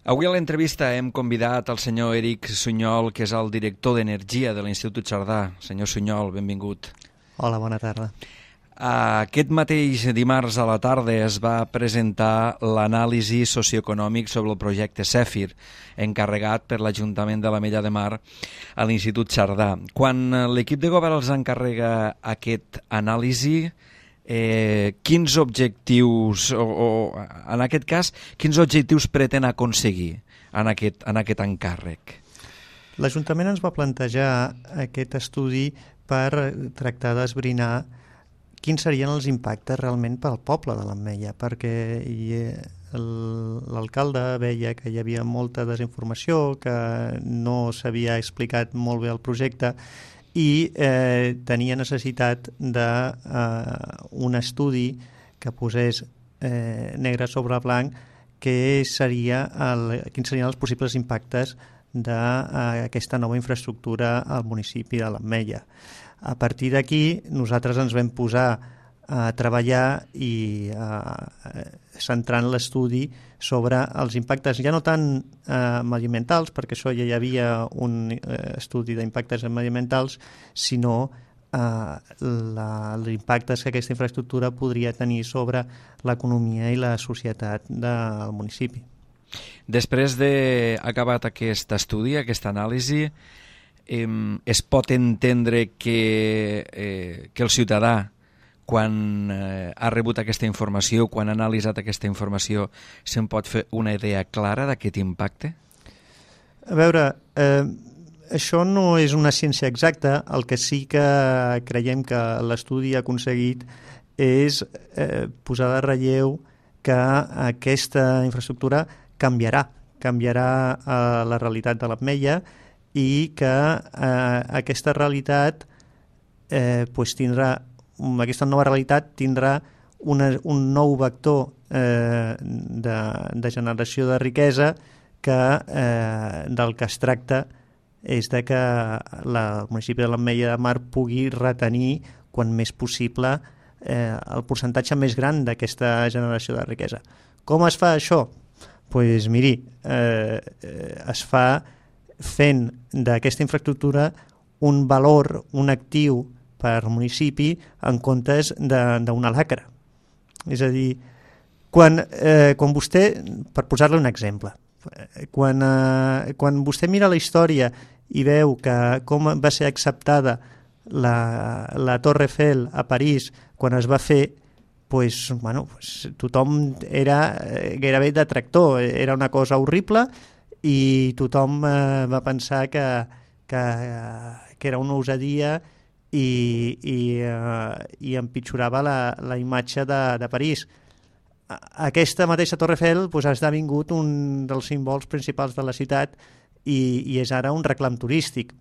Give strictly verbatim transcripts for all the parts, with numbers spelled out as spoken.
Avui a l'entrevista hem convidat el senyor Eric Sunyol, que és el director d'Energia de l'Institut Cerdà. Senyor Sunyol, benvingut. Hola, bona tarda. Aquest mateix dimarts a la tarda es va presentar l'anàlisi socioeconòmic sobre el projecte Zèfir, encarregat per l'Ajuntament de l'Ametlla de Mar a l'Institut Cerdà. Quan l'equip de govern els encarrega aquest anàlisi, eh, quins objectius, o, o en aquest cas, quins objectius pretén aconseguir en aquest, en aquest encàrrec? L'Ajuntament ens va plantejar aquest estudi per tractar d'esbrinar quins serien els impactes realment pel poble de l'Ametlla, perquè l'alcalde veia que hi havia molta desinformació, que no s'havia explicat molt bé el projecte i eh, tenia necessitat d'un eh, estudi que posés eh, negre sobre blanc que seria el, quins serien els possibles impactes d'aquesta nova infraestructura al municipi de l'Ametlla. A partir d'aquí, nosaltres ens vam posar a treballar i a, centrant l'estudi sobre els impactes, ja no tant eh, mediambientals, perquè això ja hi havia un eh, estudi d'impactes mediambientals, sinó eh, els impactes que aquesta infraestructura podria tenir sobre l'economia i la societat del municipi. Després d'acabat aquest estudi, aquesta anàlisi, Eh, es pot entendre que, eh, que el ciutadà, quan eh, ha rebut aquesta informació, quan ha analitzat aquesta informació, se'n pot fer una idea clara d'aquest impacte? A veure, eh, això no és una ciència exacta. El que sí que creiem que l'estudi ha aconseguit és eh, posar de relleu que aquesta infraestructura canviarà, canviarà eh, la realitat de l'Ametlla, i que eh, aquesta realitat eh, pues tindrà, aquesta nova realitat tindrà una, un nou vector eh, de, de generació de riquesa que eh, del que es tracta és de que la, el municipi de l'Ametlla de Mar pugui retenir quan més possible eh, el percentatge més gran d'aquesta generació de riquesa. Com es fa això? Doncs pues, miri, eh, es fa fent d'aquesta infraestructura un valor, un actiu per municipi en comptes d'una lacra. És a dir, quan, eh, quan vostè, per posar-li un exemple, quan, eh, quan vostè mira la història i veu que com va ser acceptada la, la Torre Eiffel a París quan es va fer, pues, bueno, pues, tothom era gairebé detractor, era una cosa horrible i tothom eh, va pensar que, que, que era una osadia i, i, eh, i empitjorava la, la imatge de, de París. Aquesta mateixa Torre Eiffel pues, ha esdevingut un dels símbols principals de la ciutat i, i és ara un reclam turístic.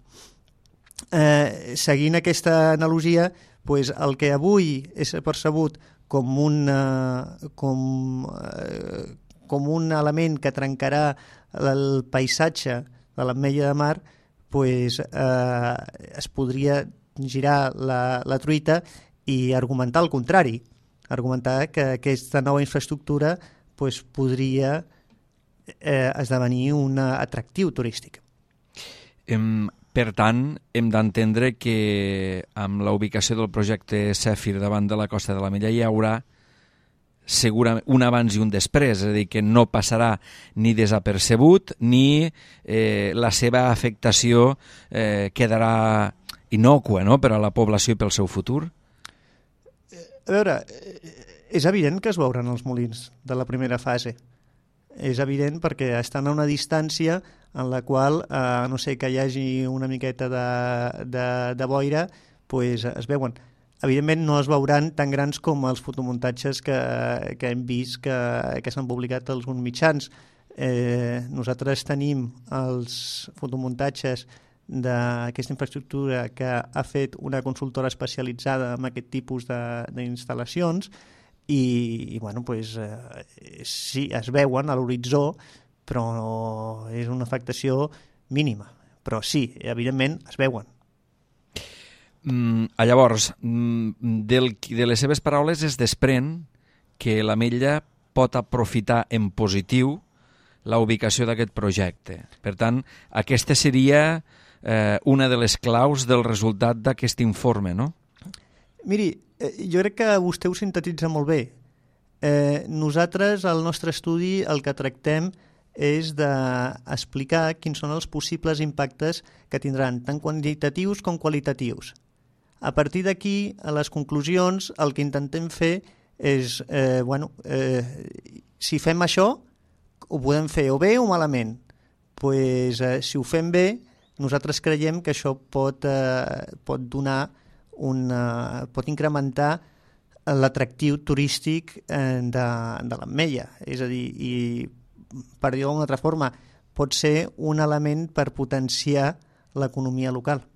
Eh, seguint aquesta analogia, pues, el que avui és percebut com un, eh, com, eh, com un element que trencarà el paisatge de l'Ametlla de Mar, pues, eh, es podria girar la, la truita i argumentar el contrari, argumentar que aquesta nova infraestructura pues, podria eh, esdevenir un atractiu turístic. Em, per tant, hem d'entendre que amb la ubicació del projecte Zèfir davant de la costa de l'Ametlla hi haurà segurament un abans i un després, és a dir, que no passarà ni desapercebut ni eh, la seva afectació eh, quedarà innòcua, no?, per a la població i pel seu futur? A veure, és evident que es veuran els molins de la primera fase. És evident perquè estan a una distància en la qual, eh, a no ser que hi hagi una miqueta de, de, de boira, pues, es veuen. Evidentment no es veuran tan grans com els fotomuntatges que, que hem vist que, que s'han publicat als mitjans. Eh, nosaltres tenim els fotomuntatges d'aquesta infraestructura que ha fet una consultora especialitzada en aquest tipus d'instal·lacions i, i bueno, pues, eh, sí, es veuen a l'horitzó, però és una afectació mínima. Però sí, evidentment es veuen. Mm, llavors, mm, del, de les seves paraules es desprèn que l'Ametlla pot aprofitar en positiu la ubicació d'aquest projecte. Per tant, aquesta seria eh, una de les claus del resultat d'aquest informe, no? Miri, eh, jo crec que vostè ho sintetitza molt bé. Eh, nosaltres, al nostre estudi, el que tractem és d'explicar quins són els possibles impactes que tindran, tant quantitatius com qualitatius. A partir d'aquí, a les conclusions, el que intentem fer és, eh, bueno, eh, si fem això, ho podem fer o bé o malament. Pues, eh, si ho fem bé, nosaltres creiem que això pot, eh, pot donar una, pot incrementar l'atractiu turístic eh, de, de l'Ametlla. És a dir, i per dir-ho d'una altra forma, pot ser un element per potenciar l'economia local.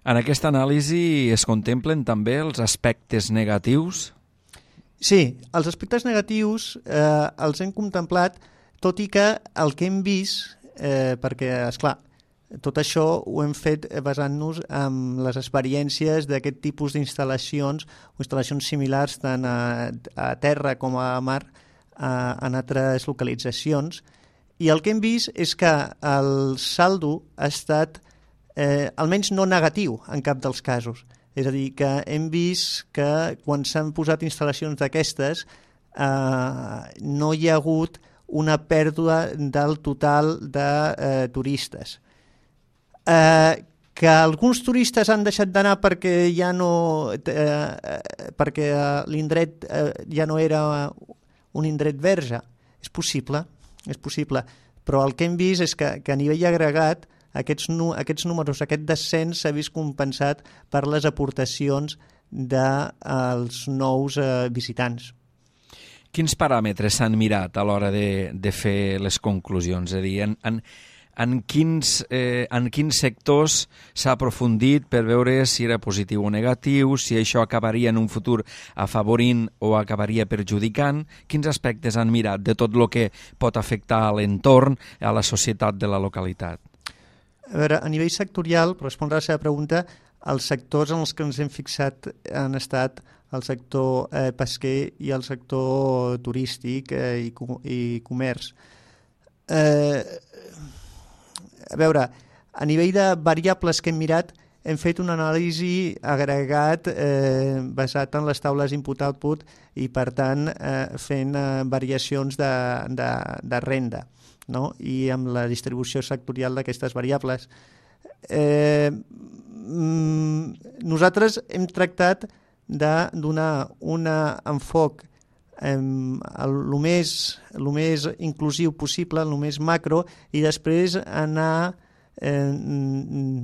En aquesta anàlisi es contemplen també els aspectes negatius? Sí, els aspectes negatius eh, els hem contemplat, tot i que el que hem vist, eh, perquè, esclar, tot això ho hem fet basant-nos en les experiències d'aquest tipus d'instal·lacions o instal·lacions similars tant a, a terra com a mar a, en altres localitzacions. I el que hem vist és que el saldo ha estat eh, almenys no negatiu en cap dels casos. És a dir, que hem vist que quan s'han posat instal·lacions d'aquestes eh, no hi ha hagut una pèrdua del total de eh, turistes. Eh, que alguns turistes han deixat d'anar perquè ja no eh, perquè l'indret eh, ja no era un indret verge, és possible, és possible, però el que hem vist és que, que a nivell agregat Aquests, aquests números, aquest descens s'ha vist compensat per les aportacions dels nous eh, visitants. Quins paràmetres s'han mirat a l'hora de, de fer les conclusions? És a dir, en, en, en, quins, eh, en quins sectors s'ha aprofundit per veure si era positiu o negatiu, si això acabaria en un futur afavorint o acabaria perjudicant? Quins aspectes han mirat de tot el que pot afectar a l'entorn, a la societat de la localitat? A veure, a nivell sectorial, per respondre a la seva pregunta, els sectors en els que ens hem fixat han estat el sector eh, pesquer i el sector turístic eh, i, i comerç. Eh, a veure, a nivell de variables que hem mirat, hem fet una anàlisi agregat eh, basat en les taules input-output i, per tant, eh, fent eh, variacions de, de, de renda, no? I amb la distribució sectorial d'aquestes variables. Eh, nosaltres hem tractat de donar un enfoc eh, el més, el més inclusiu possible, el més macro, i després anar eh,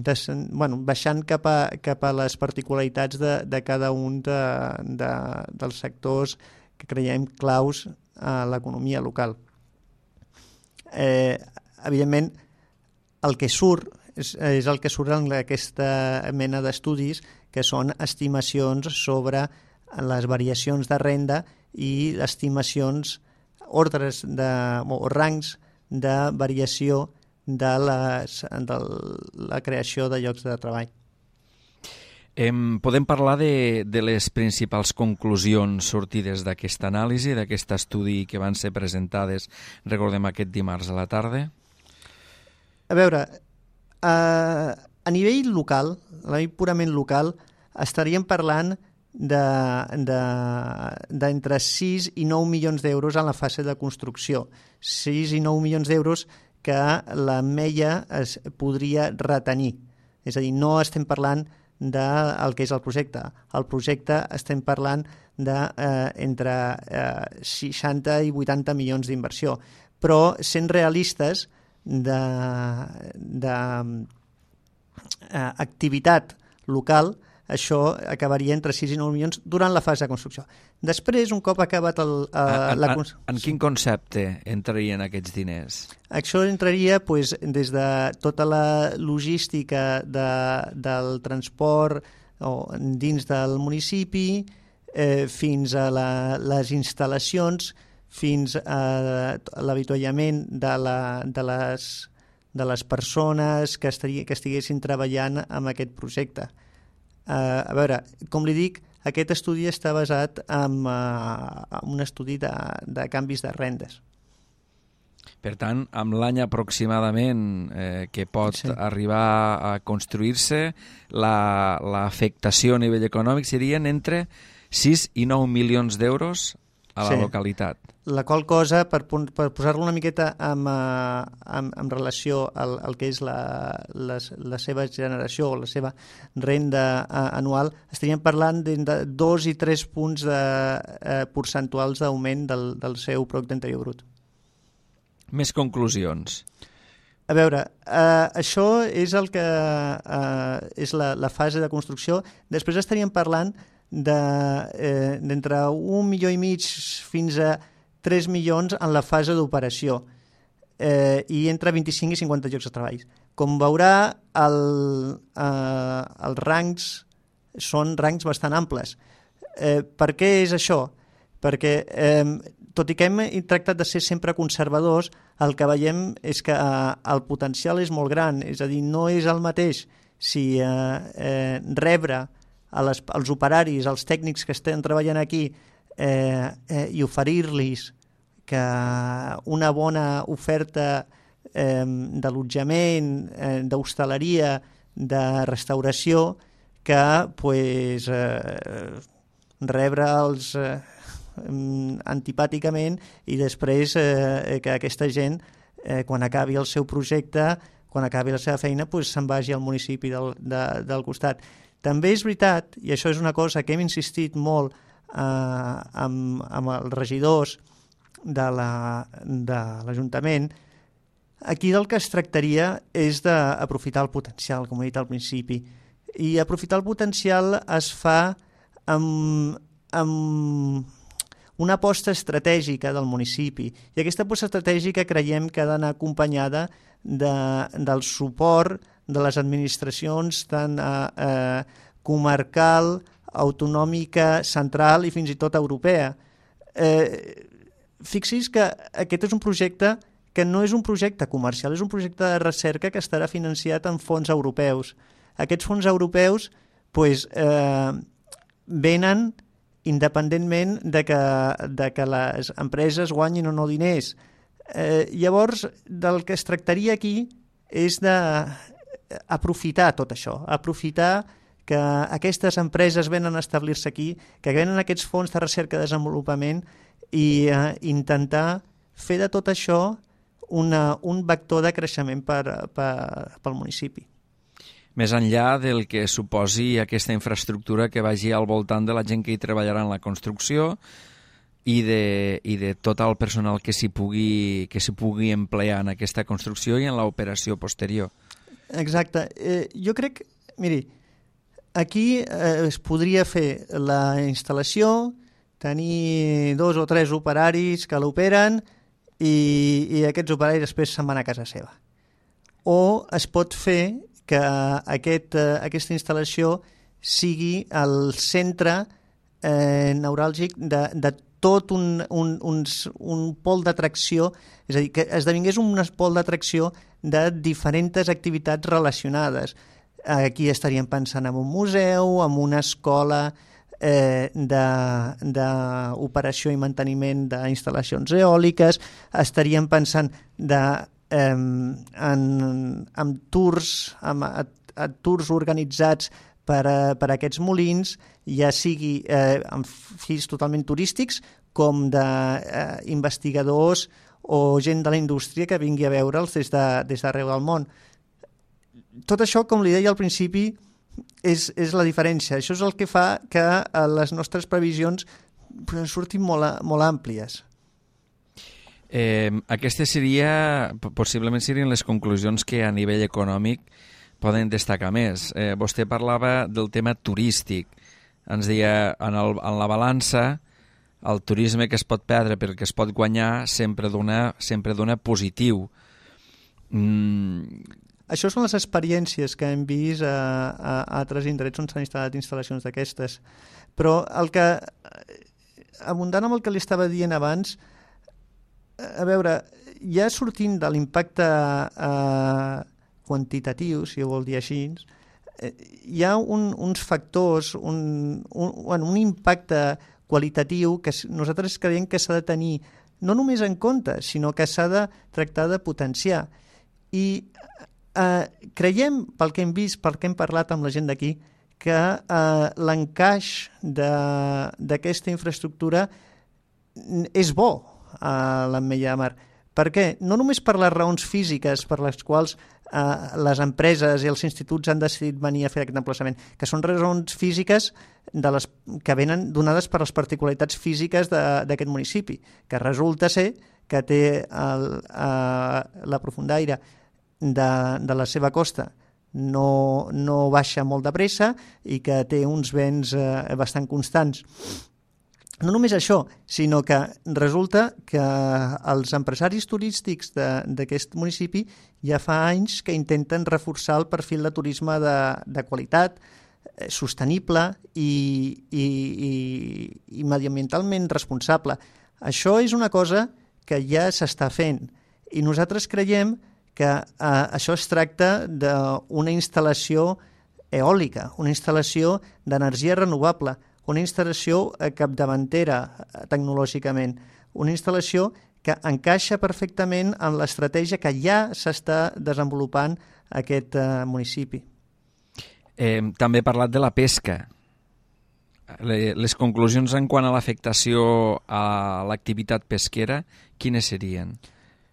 des, bueno, baixant cap a, cap a les particularitats de, de cada un de, de, dels sectors que creiem claus a l'economia local. Eh, evidentment, el que surt és, és el que surt en aquesta mena d'estudis, que són estimacions sobre les variacions de renda i estimacions, ordres de, o rangs de variació de, les, de la creació de llocs de treball. Em, podem parlar de, de les principals conclusions sortides d'aquesta anàlisi, d'aquest estudi que van ser presentades, recordem, aquest dimarts a la tarda? A veure, a, a nivell local, a nivell purament local, estaríem parlant d'entre sis i nou milions d'euros en la fase de construcció. sis i nou milions d'euros que l'Ametlla es podria retenir. És a dir, no estem parlant del que és el projecte. El projecte estem parlant d'entre eh, eh, seixanta i vuitanta milions d'inversió. Però sent realistes de, de eh, activitat local, això acabaria entre sis i nou milions durant la fase de construcció. Després, un cop acabat el, eh, en, la construcció... En, en quin concepte entrarien aquests diners? Això entraria pues, des de tota la logística de, del transport o, dins del municipi, eh, fins a la, les instal·lacions, fins a l'avituallament de, la, de, les, de les persones que, estaria, que estiguessin treballant en aquest projecte. Uh, a veure, com li dic, aquest estudi està basat en, uh, en un estudi de, de canvis de rendes. Per tant, amb l'any aproximadament eh, que pot Sí. arribar a construir-se, la- l'afectació a nivell econòmic serien entre sis i nou milions d'euros a la Sí. localitat. La qual cosa, per, pon- per posar-lo una miqueta en, eh, en, en relació al, al que és la, la, la seva generació o la seva renda eh, anual, estaríem parlant de, de dos i tres punts de, eh, percentuals d'augment del, del seu producte interior brut. Més conclusions. A veure, eh, això és el que eh, és la, la fase de construcció. Després estaríem parlant de, eh, d'entre un milió i mig fins a tres milions en la fase d'operació eh, i entre vint-i-cinc i cinquanta llocs de treball. Com veurà, el, eh, els rangs són rangs bastant amples. Eh, per què és això? Perquè, eh, tot i que hem tractat de ser sempre conservadors, el que veiem és que eh, el potencial és molt gran, és a dir, no és el mateix si eh, eh, rebre a les, als operaris, als tècnics que estan treballant aquí eh, eh, i oferir-los que una bona oferta eh, d'allotjament, eh, d'hostaleria, de restauració, que pues, eh, rebre'ls eh, antipàticament i després eh, que aquesta gent, eh, quan acabi el seu projecte, quan acabi la seva feina, pues, se'n vagi al municipi del, de, del costat. També és veritat, i això és una cosa que hem insistit molt eh, amb, amb els regidors de la, de l'Ajuntament, aquí del que es tractaria és d'aprofitar el potencial, com he dit al principi. I aprofitar el potencial es fa amb, amb una aposta estratègica del municipi. I aquesta aposta estratègica creiem que ha d'anar acompanyada de, del suport de les administracions tant eh, eh, comarcal, autonòmica, central i fins i tot europea. Eh, fixi's que aquest és un projecte que no és un projecte comercial, és un projecte de recerca que estarà financiat amb fons europeus. Aquests fons europeus pues, eh, venen independentment de que, de que les empreses guanyin o no diners. Eh, llavors, del que es tractaria aquí és d'aprofitar tot això, aprofitar que aquestes empreses venen a establir-se aquí, que venen aquests fons de recerca i desenvolupament i eh, intentar fer de tot això una, un vector de creixement per, per, pel municipi. Més enllà del que suposi aquesta infraestructura que vagi al voltant de la gent que hi treballarà en la construcció i de, i de tot el personal que s'hi pugui, que s'hi pugui emplear en aquesta construcció i en l'operació posterior. Exacte. Eh, jo crec, miri, aquí eh, es podria fer la instal·lació, tenir dos o tres operaris que l'operen i, i aquests operaris després se'n van a casa seva. O es pot fer que aquest, eh, aquesta instal·lació sigui el centre eh, neuràlgic de, de tot un, un, un, un pol d'atracció, és a dir, que esdevingués un pol d'atracció de diferents activitats relacionades. Aquí estaríem pensant en un museu, en una escola eh, d'operació i manteniment d'instal·lacions eòliques, estaríem pensant de, eh, en, en tours, en, a, a tours organitzats per, a, per a aquests molins, ja sigui eh, amb fins totalment turístics com d'investigadors eh, o gent de la indústria que vingui a veure'ls des de, des d'arreu del món. Tot això, com li deia al principi, és, és la diferència. Això és el que fa que les nostres previsions surtin molt, molt àmplies. Eh, aquestes seria, possiblement serien les conclusions que a nivell econòmic poden destacar més. Eh, vostè parlava del tema turístic. Ens deia, en, el, en la balança, el turisme que es pot perdre però que es pot guanyar sempre dona, sempre dona positiu. Mm. Això són les experiències que hem vist a, a, a altres indrets on s'han instal·lat instal·lacions d'aquestes. Però el que, abundant amb el que li estava dient abans, a veure, ja sortint de l'impacte eh, quantitatiu, si ho vol dir així, eh, hi ha un, uns factors, un, un, un impacte qualitatiu que nosaltres creiem que s'ha de tenir no només en compte, sinó que s'ha de tractar de potenciar. I eh, creiem, pel que hem vist, pel que hem parlat amb la gent d'aquí, que eh, l'encaix d'aquesta infraestructura és bo a l'Ametlla de Mar. Per què? No només per les raons físiques per les quals eh, les empreses i els instituts han decidit venir a fer aquest emplaçament, que són raons físiques de les, que venen donades per les particularitats físiques d'aquest municipi, que resulta ser que té el, eh, la profundaire de, de la seva costa no, no baixa molt de pressa i que té uns vents eh, bastant constants. No només això, sinó que resulta que els empresaris turístics d'aquest municipi ja fa anys que intenten reforçar el perfil de turisme de, de qualitat, eh, sostenible i, i, i, i mediambientalment responsable. Això és una cosa que ja s'està fent i nosaltres creiem que eh, això es tracta d'una instal·lació eòlica, una instal·lació d'energia renovable, una instal·lació capdavantera tecnològicament, una instal·lació que encaixa perfectament en l'estratègia que ja s'està desenvolupant a aquest eh, municipi. Eh, també he parlat de la pesca. Les conclusions en quant a l'afectació a l'activitat pesquera, quines serien?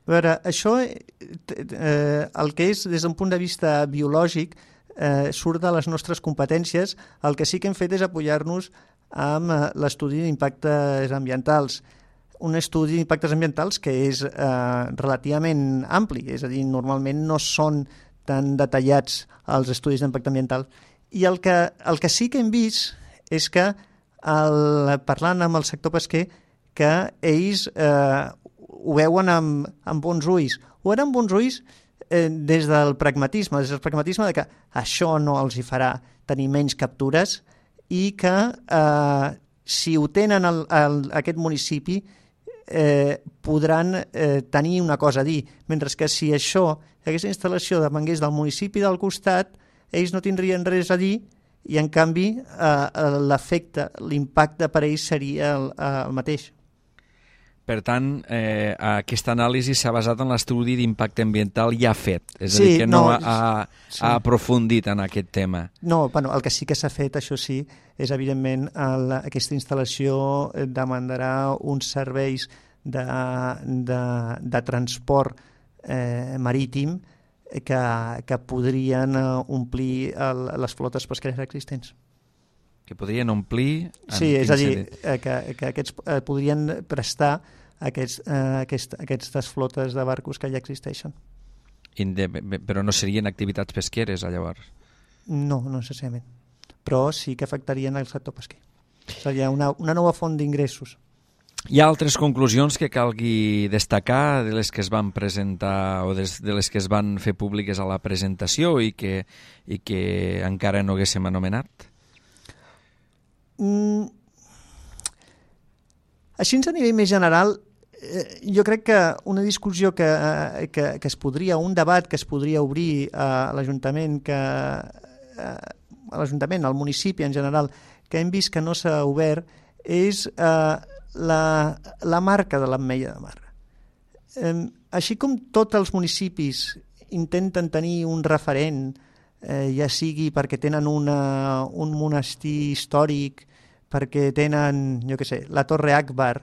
A veure, això, eh, el que és des d'un punt de vista biològic, eh, surt de les nostres competències. El que sí que hem fet és apoyar-nos amb eh, l'estudi d'impactes ambientals. Un estudi d'impactes ambientals que és eh, relativament ampli, és a dir, normalment no són tan detallats els estudis d'impacte ambiental. I el que, el que sí que hem vist és que, el, parlant amb el sector pesquer, que ells eh, ho veuen amb, amb bons ulls. Ho veuen amb bons ulls eh, des del pragmatisme, des del pragmatisme de que això no els hi farà tenir menys captures i que eh, si ho tenen el, el, aquest municipi eh, podran eh, tenir una cosa a dir, mentre que si això, aquesta instal·lació depengués del municipi del costat, ells no tindrien res a dir i en canvi eh, l'efecte, l'impacte per ells seria el, el mateix. Per tant, eh, aquesta anàlisi s'ha basat en l'estudi d'impacte ambiental ja fet, és sí, a dir, que no, no ha, sí. ha aprofundit en aquest tema. No, bueno, el que sí que s'ha fet, això sí, és evidentment el, aquesta instal·lació demandarà uns serveis de, de, de transport eh, marítim que, que podrien omplir el, les flotes pesqueres existents. Que podrien omplir... Sí, és a dir, eh, que, que aquests eh, podrien prestar aquests, eh, aquest, aquestes flotes de barcos que ja existeixen. Inde, però no serien activitats pesqueres, llavors? No, no necessàriament. Però sí que afectarien el sector pesquer. Seria una, una nova font d'ingressos. Hi ha altres conclusions que calgui destacar de les que es van presentar o de les que es van fer públiques a la presentació i que, i que encara no haguéssim anomenat? Mm. Així a nivell més general, eh, jo crec que una discussió que, eh, que, que es podria, un debat que es podria obrir a l'Ajuntament, que eh, a l'Ajuntament, al municipi en general, que hem vist que no s'ha obert, és eh, la, la marca de l'Ametlla de Mar. Eh, així com tots els municipis intenten tenir un referent, eh, ja sigui perquè tenen una, un monestir històric, perquè tenen, jo què sé, la Torre Akbar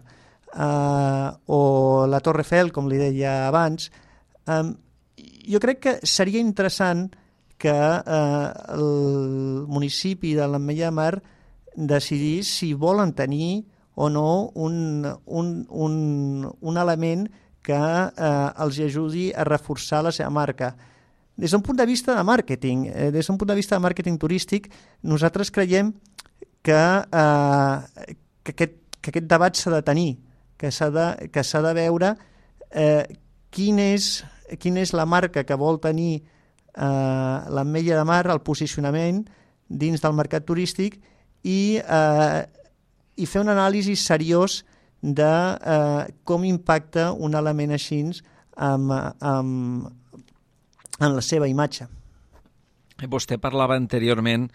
eh, o la Torre Eiffel, com li deia abans, eh, jo crec que seria interessant que eh, el municipi de l'Ametlla de Mar decidís si volen tenir o no un, un, un, un element que eh, els ajudi a reforçar la seva marca. Des d'un punt de vista de màrqueting, eh, des d'un punt de vista de màrqueting turístic, nosaltres creiem que, eh, que, aquest, que aquest debat s'ha de tenir, que s'ha de, que s'ha de veure eh, quin és, quina és la marca que vol tenir eh, l'Ametlla de Mar, el posicionament dins del mercat turístic i, eh, i fer un anàlisi seriós de eh, com impacta un element així amb, amb, en la seva imatge. Vostè parlava anteriorment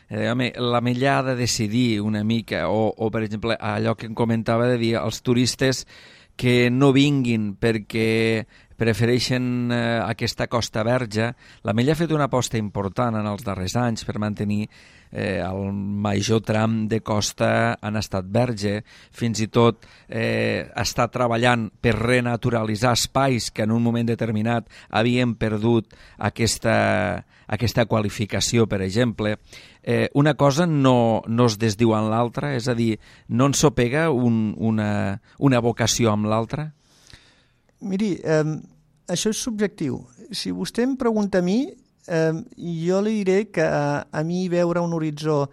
Eh, home, l'Ametlla ha de decidir una mica, o, o per exemple allò que em comentava de dir als turistes que no vinguin perquè prefereixen eh, aquesta costa verge. L'Ametlla ha fet una aposta important en els darrers anys per mantenir eh, el major tram de costa en estat verge, fins i tot eh, està treballant per renaturalitzar espais que en un moment determinat havien perdut aquesta, aquesta qualificació, per exemple. Eh, una cosa no, no es desdiu en l'altra, és a dir, no ens sopega un, una, una vocació amb l'altra? Miri, eh, això és subjectiu. Si vostè em pregunta a mi, eh, jo li diré que a, a mi veure un horitzó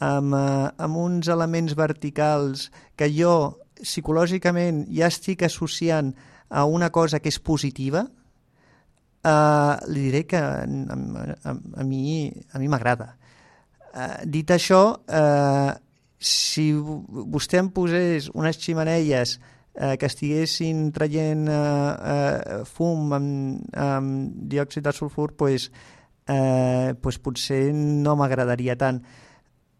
amb, eh, amb uns elements verticals que jo psicològicament ja estic associant a una cosa que és positiva, eh, li diré que a, a, a mi a mi m'agrada. Eh, dit això, eh, si vostè em posés unes ximeneies eh, que estiguessin traient eh, eh, fum amb, amb diòxid de sulfur, pues, eh, pues potser no m'agradaria tant.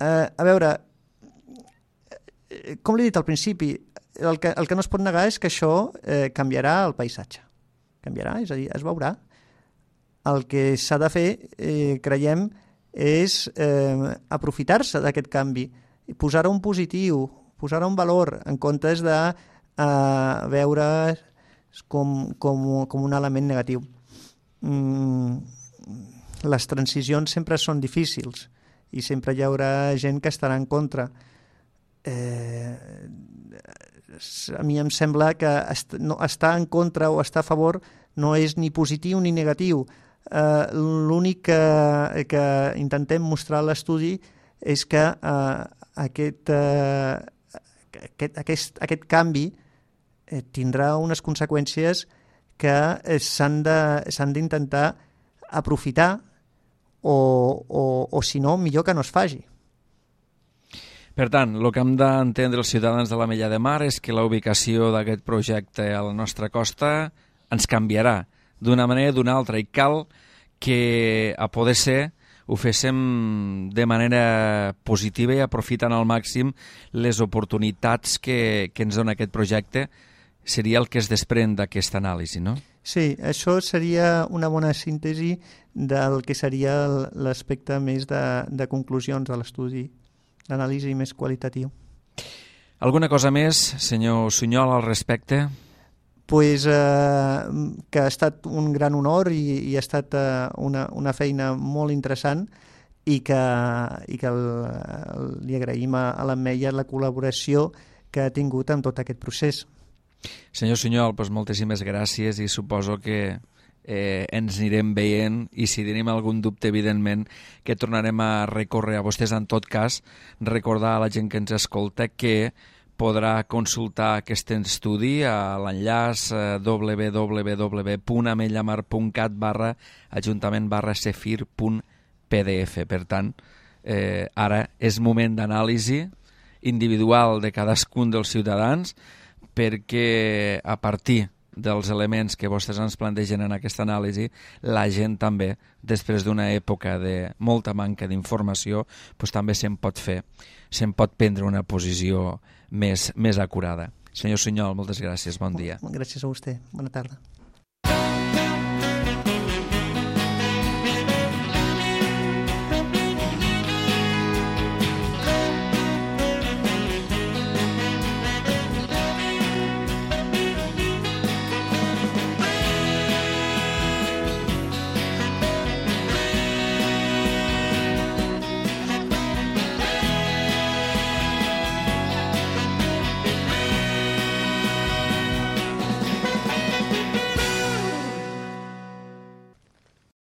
Eh, a veure, com l'he dit al principi, el que, el que no es pot negar és que això eh, canviarà el paisatge. Canviarà, és a dir, es veurà. El que s'ha de fer, eh, creiem, és eh, aprofitar-se d'aquest canvi, posar-ho en positiu, posar-ho en valor, en comptes de a veure com, com, com un element negatiu. Mm, les transicions sempre són difícils i sempre hi haurà gent que estarà en contra. Eh, a mi em sembla que est no, estar en contra o estar a favor no és ni positiu ni negatiu. Eh, l'únic que, que intentem mostrar a l'estudi és que eh, aquest, eh, aquest, aquest, aquest canvi eh, tindrà unes conseqüències que eh, s'han d'intentar aprofitar o, o, o si no, millor que no es faci. Per tant, el que hem d'entendre els ciutadans de l'Ametlla de Mar és que la ubicació d'aquest projecte a la nostra costa ens canviarà d'una manera o d'una altra, i cal que, a poder ser, ho féssim de manera positiva i aprofitant al màxim les oportunitats que, que ens dona aquest projecte. Seria el que es desprèn d'aquesta anàlisi, no? Sí, això seria una bona síntesi del que seria l'aspecte més de, de conclusions de l'estudi, l'anàlisi més qualitatiu. Alguna cosa més, senyor Sunyol, al respecte? Pues, eh, que ha estat un gran honor i, i ha estat eh, una, una feina molt interessant i que, i que el, el, li agraïm a, a l'Ametlla la col·laboració que ha tingut en tot aquest procés. Senyor Sunyol, doncs moltíssimes gràcies i suposo que eh, ens anirem veient i si tenim algun dubte, evidentment, que tornarem a recórrer a vostès. En tot cas, recordar a la gent que ens escolta que podrà consultar aquest estudi a l'enllaç w w w punt ametllamar punt cat barra ajuntament barra cefir punt p d f. Per tant, eh, ara és moment d'anàlisi individual de cadascun dels ciutadans, perquè a partir dels elements que vostès ens plantegen en aquesta anàlisi, la gent també, després d'una època de molta manca d'informació, doncs també se'n pot fer, se'n pot prendre una posició més, més acurada. Senyor Sunyol, moltes gràcies, bon dia. Gràcies a vostè, bona tarda.